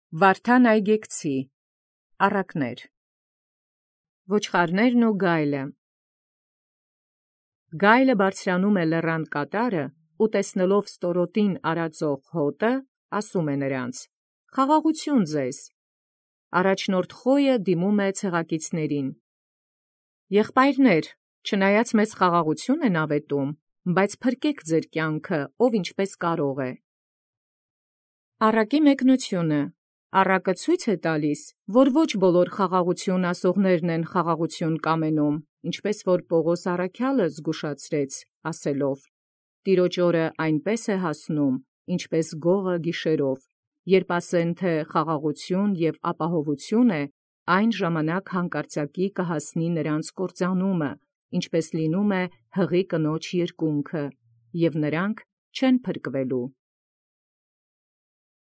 Վարդան այգեկցի առակներ Ոչխարներն ու գայլը Գայլը բարձրանում լեռան կատարը, ու տեսնելով ստորոտին արածող հոտը, ասում նրանց. «Խաղաղություն ձեզ»։ Առաջնորդ խոյը դիմում ցեղակիցներին. «Եղբայրներ, չնայած մեծ խաղաղություն են աւետում, բայց փրկեք ձեր կյանքը, ով ինչպես կարող է»։ Առակի մեկնությունը. Առակը ցույց է տալիս, որ ոչ բոլոր խաղաղություն ասողներն են խաղաղություն կամենում, ինչպես որ Պողոս առաքյալը զգուշացրեց, ասելով. «Տիրոջ օրը այնպես է հասնում, ինչպես գողը գիշերով, երբ ասեն թե խաղաղություն և ապահովություն է, այն ժամանակ հանկարծակի կհասնի նրանց կործանումը, ինչպես լինում է հղի կնոջ երկունքը, և նրանք չեն փրկվելու»։